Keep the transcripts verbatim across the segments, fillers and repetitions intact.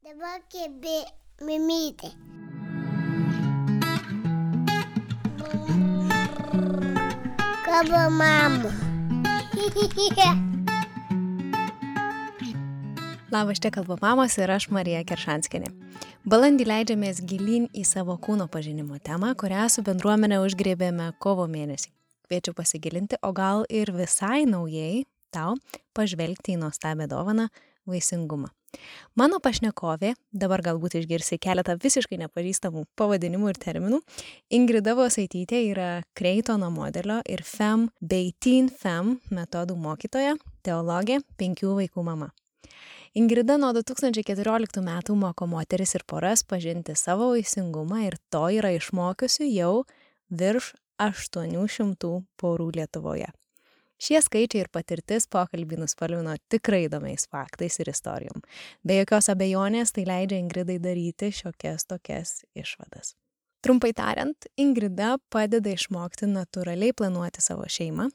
Dabar kebė mimytė. Kaba mama. Labas, čia kalba mamos ir aš Marija Keršanskienė. Balandį leidžiamės gilyn į savo kūno pažinimo temą, kurią su bendruomenė užgrėbėme kovo mėnesį. Kviečiu pasigilinti, o gal ir visai naujai tau pažvelgti į nuostabią dovaną vaisingumą. Mano pašnekovė, dabar galbūt išgirsi keletą visiškai nepažįstamų pavadinimų ir terminų, Ingrida Vosaitytė yra Kreitono modelio ir Fem bei Teen Fem metodų mokytoja, teologė, penkių vaikų mama. Ingrida nuo du tūkstančiai keturioliktų metų moko moteris ir poras pažinti savo vaisingumą ir to yra išmokiusi jau virš aštuonių šimtų porų Lietuvoje. Šie skaičiai ir patirtis pokalbį nuspalvino tikrai įdomiais faktais ir istorijom. Be jokios abejonės tai leidžia Ingridai daryti šiokias tokias išvadas. Trumpai tariant, Ingrida padeda išmokti natūraliai planuoti savo šeimą,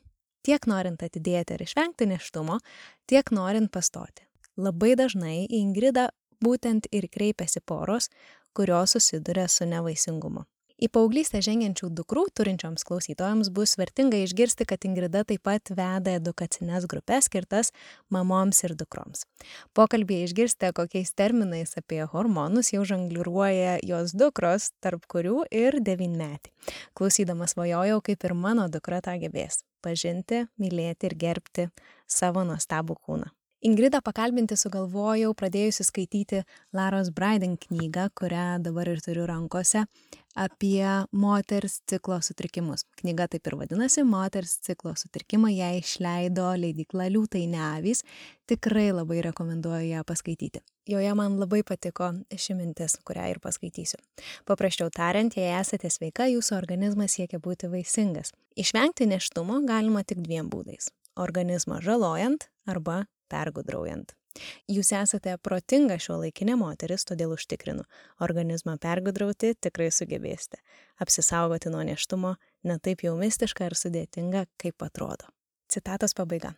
tiek norint atidėti ar išvengti nėštumo, tiek norint pastoti. Labai dažnai į Ingridą būtent ir kreipiasi poros, kurios susiduria su nevaisingumu. Į paauglystę žengiančių dukrų turinčioms klausytojams bus vertinga išgirsti, kad Ingrida taip pat veda edukacines grupes skirtas mamoms ir dukroms. Pokalbėje išgirsite, kokiais terminais apie hormonus jau žongliruoja jos dukros, tarp kurių ir devynmetį. Klausydamas svajojau, kaip ir mano dukra tą gebės – pažinti, mylėti ir gerbti savo nuostabų kūną. Ingridą pakalbinti sugalvojau pradėjusi skaityti Laros Braiden knygą, kurią dabar ir turiu rankose, apie moters ciklo sutrikimus. Knyga taip ir vadinasi Moters ciklo sutrikimai, ją išleido leidykla Liūtai ne avys. Tikrai labai rekomenduoju ją paskaityti. Joje man labai patiko ši mintis, kurią ir paskaitysiu. Paprasčiau tariant, jei esate sveika, jūsų organizmas siekia būti vaisingas. Išvengti nėštumo galima tik dviem būdais – organizmą žalojant arba pergudraujant. Jūs esate protinga šiuolaikinė moteris, todėl užtikrinu, organizmą pergudrauti tikrai sugebėsite. Apsisaugoti nuo nėštumo ne taip jau mistiška ir sudėtinga, kaip atrodo. Citatos pabaiga.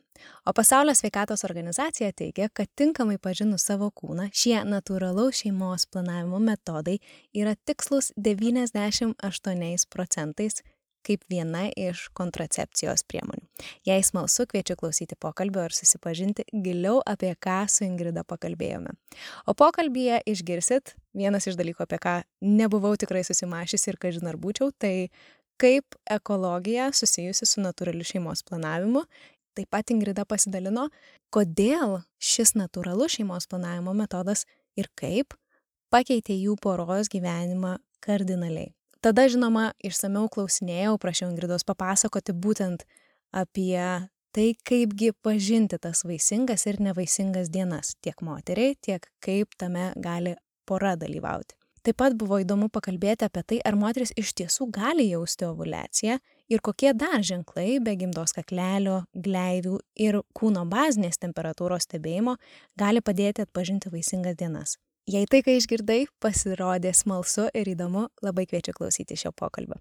O Pasaulio sveikatos organizacija teigia, kad tinkamai pažinus savo kūną, šie natūralaus šeimos planavimo metodai yra tikslus devyniasdešimt aštuoniais procentais kaip viena iš kontracepcijos priemonių. Jei smalsu, kviečiu klausyti pokalbio ir susipažinti giliau, apie ką su Ingrida pakalbėjome. O pokalbyje išgirsit vienas iš dalykų, apie ką nebuvau tikrai susimašiusi ir kažin ar būčiau, tai kaip ekologija susijusi su natūraliu šeimos planavimu. Taip pat Ingrida pasidalino, kodėl šis natūralus šeimos planavimo metodas ir kaip pakeitė jų poros gyvenimą kardinaliai. Tada, žinoma, išsamiau klausinėjau, prašiau Ingridos papasakoti būtent apie tai, kaipgi pažinti tas vaisingas ir nevaisingas dienas tiek moteriai, tiek kaip tame gali pora dalyvauti. Taip pat buvo įdomu pakalbėti apie tai, ar moteris iš tiesų gali jausti ovuliaciją ir kokie dar ženklai be gimdos kaklelio, gleivių ir kūno bazinės temperatūros stebėjimo gali padėti atpažinti vaisingas dienas. Jei tai, kai išgirdai, pasirodė smalsu ir įdomu, labai kviečiu klausyti šio pokalbio.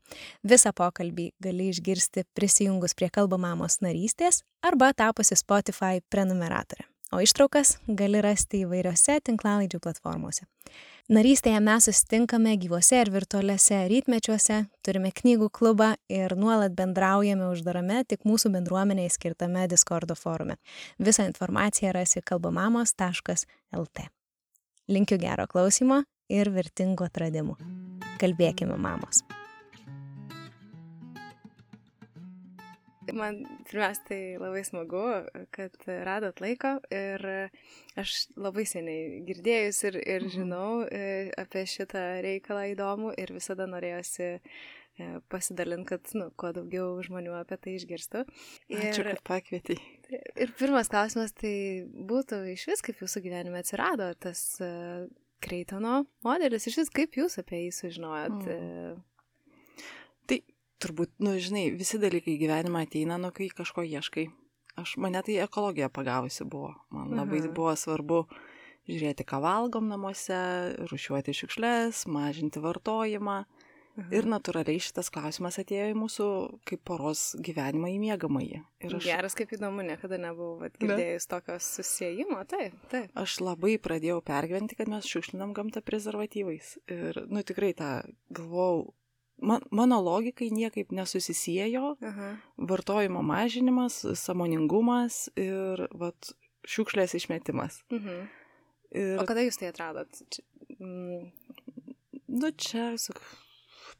Visą pokalbį gali išgirsti prisijungus prie Kalba mamos narystės arba tapusi Spotify prenumeratorė. O ištraukas gali rasti įvairiose tinklalaidžių platformose. Narystėje mes susitinkame gyvuose ir virtualiuose rytmečiuose, turime knygų klubą ir nuolat bendraujame uždarame tik mūsų bendruomeniai skirtame Discordo forume. Visą informaciją rasi kalbamamos taškas el tė. Linkiu gero klausimo ir vertingų atradimų. Kalbėkime, mamos. Man pirmiausia, tai labai smagu, kad radot laiko ir aš labai seniai girdėjus ir, ir žinau apie šitą reikalą įdomų ir visada norėjosi pasidalinti, kad nu, kuo daugiau žmonių apie tai išgirstų. Ir, Ačiū, kad pakvietei. Ir pirmas klausimas tai būtų iš vis, kaip jūsų gyvenime atsirado tas uh, Kreitono modelis, iš vis kaip jūs apie jį sužinojot? Mm. Tai turbūt, nu, žinai, visi dalykai gyvenime ateina, nu, kai kažko ieškai. Aš, mane tai ekologija pagavusi buvo. Man Aha. labai buvo svarbu žiūrėti, ką valgom namuose, rūšiuoti šiukšles, mažinti vartojimą. Mhm. Ir natūraliai šitas klausimas atėjo į mūsų kaip poros gyvenimą į miegamąjį. Ir aš... Geras, kaip įdomu, niekada nebuvau girdėjus tokios susijimo, taip, taip. Aš labai pradėjau pergyventi, kad mes šiukšlinam gamtą prezervatyvais. Ir, nu, tikrai tą galvojau, man, mano logikai niekaip nesusisiejo, Aha. vartojimo mažinimas, sąmoningumas ir, vat, šiukšlės išmetimas. Mhm. Ir... O kada jūs tai atradot? Čia, mm... Nu, čia, sak,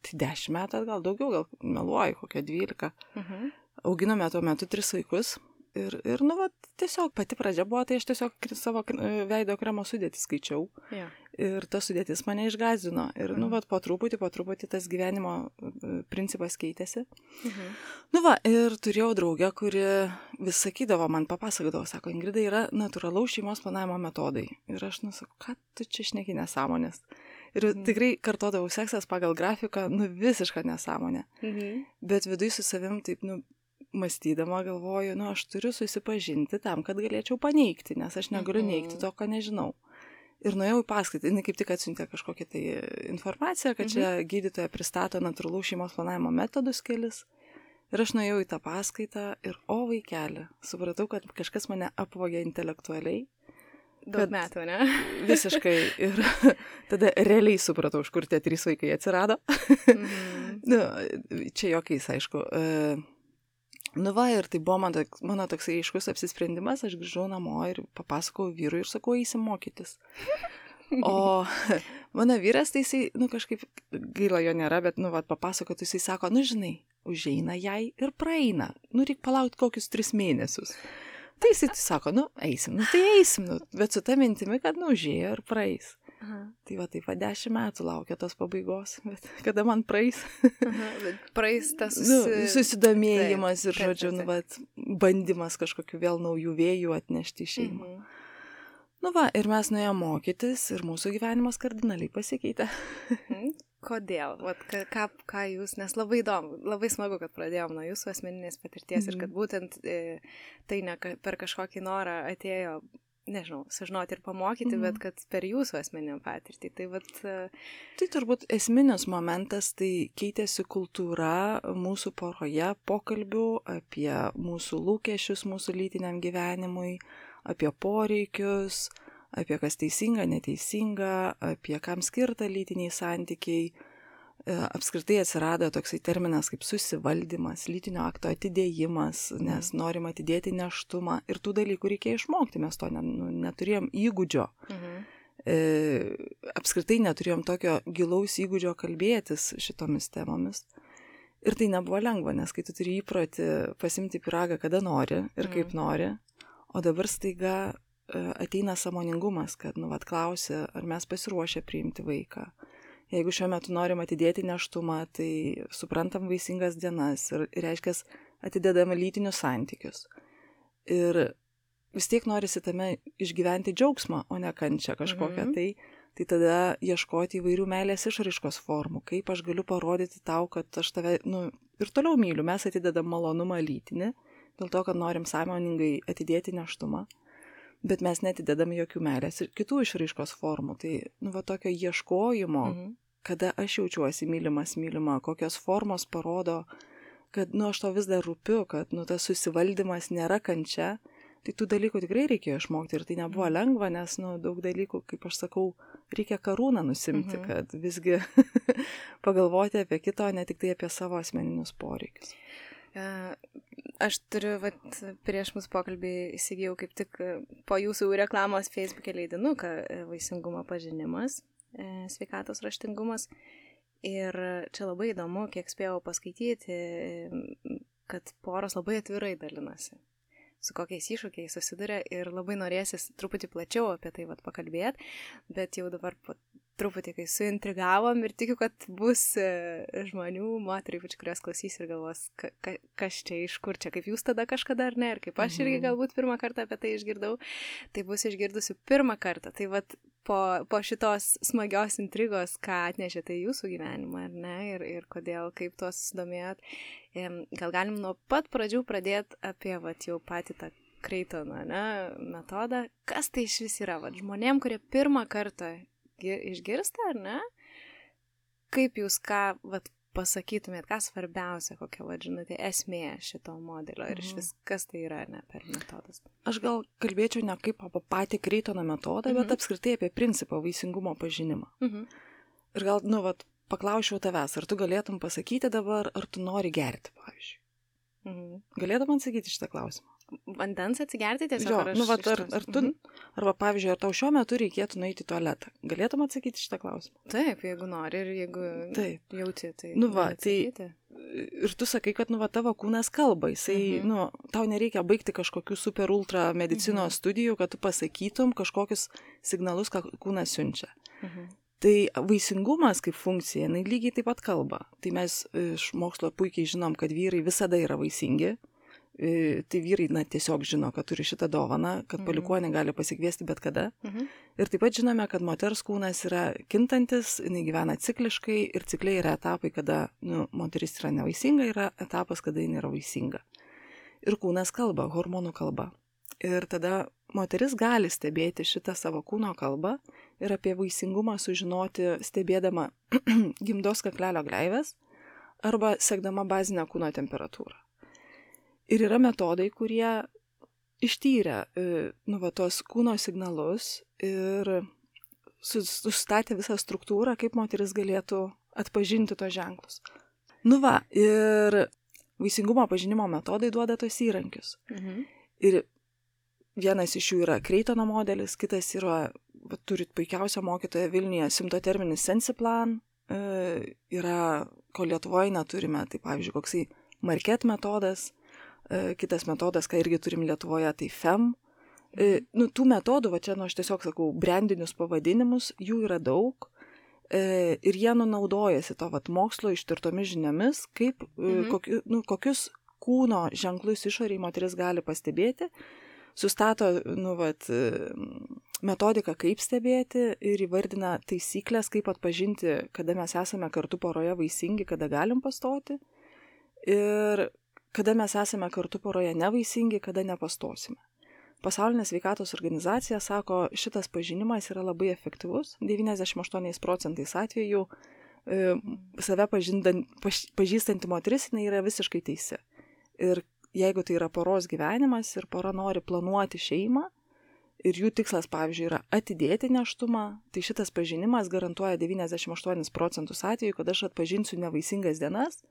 tai dešimt metų, gal daugiau, gal meluoju, kokia dvylika. Mhm. Auginome tuo metu tris vaikus. Ir, ir nu, va, tiesiog pati pradžia buvo, tai aš tiesiog savo veido kremo sudėtį skaičiau. Ja. Ir ta sudėtis mane išgąsdino. Ir, mhm. nu, va, po truputį, po truputį tas gyvenimo principas keitėsi. Mhm. Nu, va, ir turėjau draugę, kuri vis sakydavo, man papasakodavo, sako, Ingrida, yra natūralaus šeimos planavimo metodai. Ir aš, nu, sakau, ką tu čia šneki nesąmonės? Ir mhm. tikrai kartodavau seksas pagal grafiką, nu, visišką nesąmonę. Mhm. Bet viduj su savim taip, nu, mąstydama galvoju, nu, aš turiu susipažinti tam, kad galėčiau paneigti, nes aš negaliu mhm. neigti to, ko nežinau. Ir nuėjau į paskaitą, jinai kaip tik atsiuntė kažkokią tai informaciją, kad mhm. čia gydytoja pristato natūralaus šeimos planavimo metodus kelis. Ir aš nuėjau į tą paskaitą ir, o vaikeli, supratau, kad kažkas mane apvogė intelektualiai. Daug metų, ne? Visiškai. Ir tada realiai supratau, iš kur tie trys vaikai atsirado. Mhm. Nu, čia jokiais, aišku. Nu va, ir tai buvo mano, mano toksai aiškus apsisprendimas, aš grįžau namo ir papasakau vyrui ir sakau, eisim mokytis. O mano vyras, tai jisai, nu kažkaip, gaila jo nėra, bet, nu va, papasakotų, jisai sako, nu žinai, užeina jai ir praeina, nu reik palaukti kokius tris mėnesius. Tai jisai sako, nu eisim, nu tai eisim, nu, bet su ta mintimi, kad nu užėjo ir praeis. Aha. Tai va, taip va, dešimt metų laukia tos pabaigos, bet kada man praeis? Aha, bet praeis tas susi... nu, susidomėjimas taip, ir, žodžiu, taip, taip. Nu, va, bandymas kažkokiu vėl naujų vėjų atnešti į šeimą. Mhm. Nu va, ir mes nuėjome mokytis ir mūsų gyvenimas kardinaliai pasikeitė. Mhm. Kodėl? Vat, ką, ką jūs, nes labai įdomu, labai smagu, kad pradėjom nuo jūsų asmeninės patirties mhm. ir kad būtent e, tai ne per kažkokį norą atėjo, nežinau, sužinoti ir pamokyti, mhm. bet kad per jūsų asmeninę patirtį. Tai, vat, tai turbūt esminis momentas, tai keitėsi kultūra mūsų poroje pokalbių apie mūsų lūkesčius mūsų lytiniam gyvenimui, apie poreikius, apie kas teisinga, neteisinga, apie kam skirta lytiniai santykiai. Apskritai atsirado toksai terminas kaip susivaldymas, lytinio akto atidėjimas, nes norim atidėti nėštumą ir tų dalykų reikėjo išmokti, mes to neturėjom įgūdžio. Mhm. E, apskritai neturėjom tokio gilaus įgūdžio kalbėtis šitomis temomis. Ir tai nebuvo lengva, nes kai tu turi įprotį pasimti pyragą, kada nori ir kaip mhm. nori, o dabar staiga ateina sąmoningumas, kad, nu, vat klausi, ar mes pasiruošę priimti vaiką. Jeigu šiuo metu norim atidėti nėštumą, tai suprantam vaisingas dienas ir, ir reiškia, atidedame lytinius santykius. Ir vis tiek norisi tame išgyventi džiaugsmą, o ne kančią kažkokią. Mhm. Tai, tai tada ieškoti įvairių meilės išraiškos formų, kaip aš galiu parodyti tau, kad aš tave, nu, ir toliau myliu. Mes atidedam malonumą lytinį, dėl to, kad norim sąmoningai atidėti nėštumą. Bet mes netidedam jokių meilės ir kitų išraiškos formų. Tai, nu, va, tokio ieškojimo, mhm. kada aš jaučiuosi mylimas, mylima, kokios formos parodo, kad, nu, aš to vis dar rūpiu, kad, nu, tas susivaldymas nėra kančia. Tai tų dalykų tikrai reikėjo išmokti ir tai nebuvo lengva, nes, nu, daug dalykų, kaip aš sakau, reikia karūną nusimti, mhm. kad visgi pagalvoti apie kito, ne tik tai apie savo asmeninius poreikius. Aš turiu, vat, prieš mūsų pokalbį įsigijau kaip tik po jūsų reklamos Facebook'e leidinuką Vaisingumo pažinimas, sveikatos raštingumas. Ir čia labai įdomu, kiek spėjau paskaityti, kad poros labai atvirai dalinasi, su kokiais iššūkiais susiduria ir labai norėsis truputį plačiau apie tai vat pakalbėti, bet jau dabar po truputį, kai suintrigavom ir tikiu, kad bus žmonių, moterų, ypač kurios klausys ir galvos, ka, ka, kas čia, iš kur čia, kaip jūs tada kažkada ar ne, ir kaip aš irgi galbūt pirmą kartą apie tai išgirdau, tai bus išgirdusi pirmą kartą. Tai vat po, po šitos smagios intrigos, ką atnešėte į jūsų gyvenimą, ar ne, ir, ir kodėl, kaip tuos susidomėjot, gal galim nuo pat pradžių pradėti apie vat jau patį tą Kreitono, ne, metodą. Kas tai iš vis yra, vat žmonėm, kurie pirmą kartą išgirsta, ar ne? kaip jūs ką, vat, pasakytumėt, ką svarbiausia, kokia, va, žinote, esmė šito modelio ir iš vis, kas tai yra, ne, per metodas? Aš gal kalbėčiau ne kaip apie patį Kreitono metodą, mhm. bet apskritai apie principą vaisingumo pažinimą. Mhm. Ir gal, nu, vat, paklausčiau tavęs, ar tu galėtum pasakyti dabar, ar tu nori gerti, pavyzdžiui. Mhm. Galėtum man sakyti šitą klausimą? Vandens atsigerti tiesiog? Jo, ar aš nu, vat, ar, ar tu, mhm. arba, pavyzdžiui, ar tau šiuo metu reikėtų nueiti į tualetą? Galėtum atsakyti šitą klausimą? Taip, jeigu nori ir jeigu Taip. jauti, tai... Nu, va, tai ir tu sakai, kad, nu, va, tavo kūnas kalba, jisai, mhm. nu, tau nereikia baigti kažkokių super ultra medicinos mhm. studijų, kad tu pasakytum kažkokius signalus, ką kūnas siunčia. Mhm. Tai vaisingumas kaip funkcija, jinai lygiai taip pat kalba. Tai mes iš mokslo puikiai žinom, kad vyrai visada yra vaisingi. Tai vyrai, na, tiesiog žino, kad turi šitą dovaną, kad mhm. palikuonį gali pasikviesti bet kada. Mhm. Ir taip pat žinome, kad moters kūnas yra kintantis, jinai gyvena cikliškai ir cikliai yra etapai, kada, nu, moteris yra nevaisinga, yra etapas, kada jinai yra vaisinga. Ir kūnas kalba, hormonų kalba. Ir tada moteris gali stebėti šitą savo kūno kalbą ir apie vaisingumą sužinoti stebėdama gimdos kaklelio gleives arba sekdama bazinę kūno temperatūrą. Ir yra metodai, kurie ištyrė, nu, va, tos kūno signalus ir sustatė visą struktūrą, kaip moteris galėtų atpažinti tos ženklus. Nu va, ir vaisingumo pažinimo metodai duoda tos įrankius. Mhm. Ir vienas iš jų yra Kreitono modelis, kitas yra, va, turit puikiausią mokytoją Vilniuje, simptoterminis Sensiplan, e, yra, ko Lietuvoje neturime, tai pavyzdžiui, koksai Market metodas, kitas metodas, ką irgi turim Lietuvoje, tai F E M. E, nu, tų metodų, va čia, nu, aš tiesiog sakau, brandinius pavadinimus, jų yra daug e, ir jie nunaudojasi to, vat, mokslo ištirtomis žiniomis, kaip, mhm. kokiu, nu, kokius kūno ženklus išoriai moteris gali pastebėti, sustato, nu, vat, metodiką, kaip stebėti ir įvardina taisyklės, kaip atpažinti, kada mes esame kartu poroje vaisingi, kada galim pastoti. Ir kada mes esame kartu poroje nevaisingi, kada nepastosime. Pasaulinė sveikatos organizacija sako, šitas pažinimas yra labai efektyvus, devyniasdešimt aštuoniais procentais atvejų e, save pažindant, paž, pažįstanti moteris, jinai yra visiškai teisi. Ir jeigu tai yra poros gyvenimas ir pora nori planuoti šeimą ir jų tikslas, pavyzdžiui, yra atidėti nėštumą, tai šitas pažinimas garantuoja devyniasdešimt aštuonis procentus atvejų, kad aš atpažinsiu nevaisingas dienas.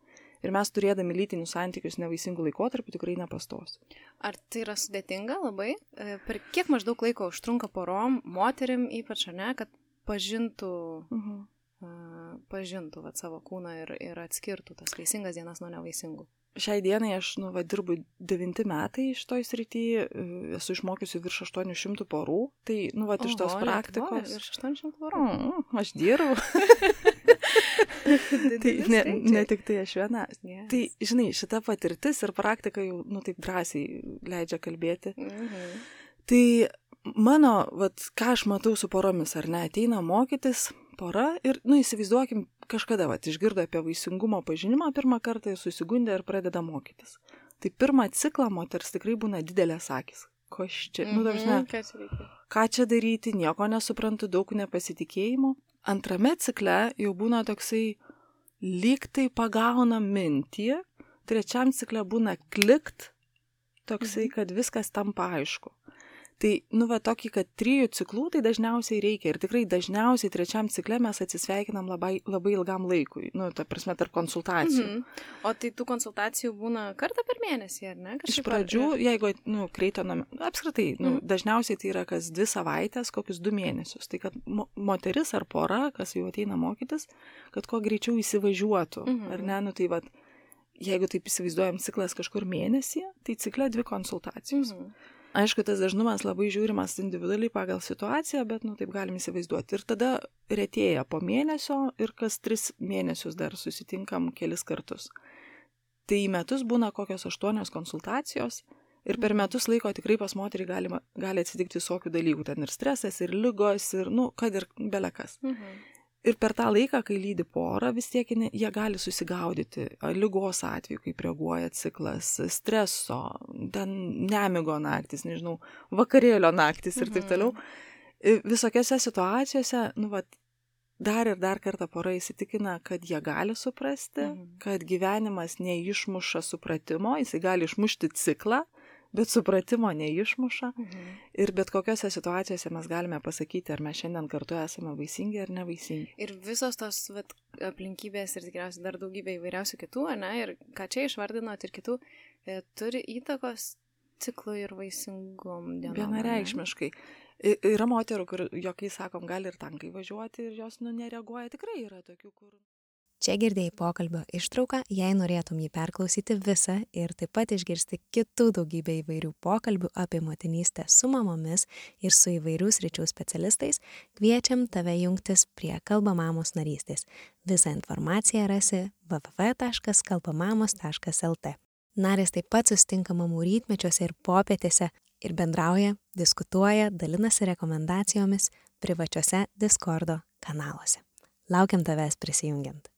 Ir mes turėdami lytinius santykius nevaisingų laikotarpių tikrai nepastosiu. Ar tai yra sudėtinga labai? Per kiek maždaug laiko užtrunka porom, moterim ypač, ar ne, kad pažintų, uh-huh. uh, pažintų vat, savo kūną ir, ir atskirtų tas vaisingas dienas nuo nevaisingų? Šiai dienai aš, nu, va, dirbu devinti metai iš toj srity, esu išmokiusi virš aštuonių šimtų porų, tai, nu, va, iš tos praktikos... Oho, virš aštuonių šimtų porų? Mm, aš dirbu. Tai ne, ne tik tai aš viena. Yes. Tai, žinai, šita patirtis ir praktika jau, nu, taip drąsiai leidžia kalbėti. Mhm. Tai mano, vat, ką aš matau su poromis, ar ne, ateina mokytis pora ir, nu, įsivaizduokim, kažkada, vat, išgirdo apie vaisingumo pažinimą pirmą kartą ir susigundė ir pradeda mokytis. Tai pirmą ciklą moters tikrai būna didelės akys. Ko aš čia, mm-hmm, nu, dažnai, ką čia daryti, nieko nesuprantu, daug nepasitikėjimo. Antrame cikle jau būna toksai lyg tai pagauna mintį, trečiam cikle būna klikt, toksai, mm-hmm. kad viskas tampa aišku. Tai, nu, va, tokį, kad trijų ciklų tai dažniausiai reikia ir tikrai dažniausiai trečiam cikle mes atsisveikinam labai, labai ilgam laikui, nu, ta prasme, tarp konsultacijų. Mhm. O tai tų konsultacijų būna kartą per mėnesį, ar ne? Kažkaip iš pradžių, ar... jeigu, nu, Kreitono, apskritai, nu, mhm. dažniausiai tai yra kas dvi savaitės, kokius du mėnesius. Tai kad mo- moteris ar pora, kas jau ateina mokytis, kad kuo greičiau įsivažiuotų, mhm. ar ne, nu, tai va, jeigu taip įsivaizduojam ciklas kažkur mėnesį, tai cikle dvi konsultacijos. Mhm. Aišku, tas dažnumas labai žiūrimas individualiai pagal situaciją, bet, nu, taip galim įsivaizduoti. Ir tada retėja po mėnesio ir kas tris mėnesius dar susitinkam kelis kartus. Tai į metus būna kokios aštuonios konsultacijos ir per metus laiko tikrai pas moterį gali, gali atsitikti visokių dalykų. Ten ir stresas, ir ligos, ir, nu, kad ir belekas. Mhm. Ir per tą laiką, kai lydi porą, vis tiek jie gali susigaudyti ligos atveju, kaip reaguoja ciklas, streso, ten nemigo naktis, nežinau, vakarėlio naktis ir taip toliau. Visokiose situacijose, nu, va, dar ir dar kartą pora įsitikina, kad jie gali suprasti, mhm. kad gyvenimas neišmuša supratimo, jisai gali išmušti ciklą, bet supratimo neišmuša. Mhm. Ir bet kokiose situacijose mes galime pasakyti, ar mes šiandien kartu esame vaisingi ar nevaisingi. Ir visos tos vat, aplinkybės ir tikriausiai dar daugybė įvairiausių kitų, ne, ir ką čia išvardinot ir kitų, e, turi įtakos ciklui ir vaisingom dienom. Vienareikšmiškai. Yra moterų, kur, jokai sakom, gali ir tankai važiuoti ir jos nu, nereaguoja. Tikrai yra tokių, kur... Čia girdėjai pokalbio ištrauką, jei norėtum jį perklausyti visą ir taip pat išgirsti kitų daugybę įvairių pokalbių apie motinystę su mamomis ir su įvairių sričių specialistais, kviečiam tave jungtis prie Kalba mamos narystės. Visą informaciją rasi w w w taškas kalbamamos taškas l t. Narės taip pat susitinka mamų rytmečiuose ir popietėse ir bendrauja, diskutuoja, dalinasi rekomendacijomis privačiuose Discordo kanaluose. Laukiam tavęs prisijungiant.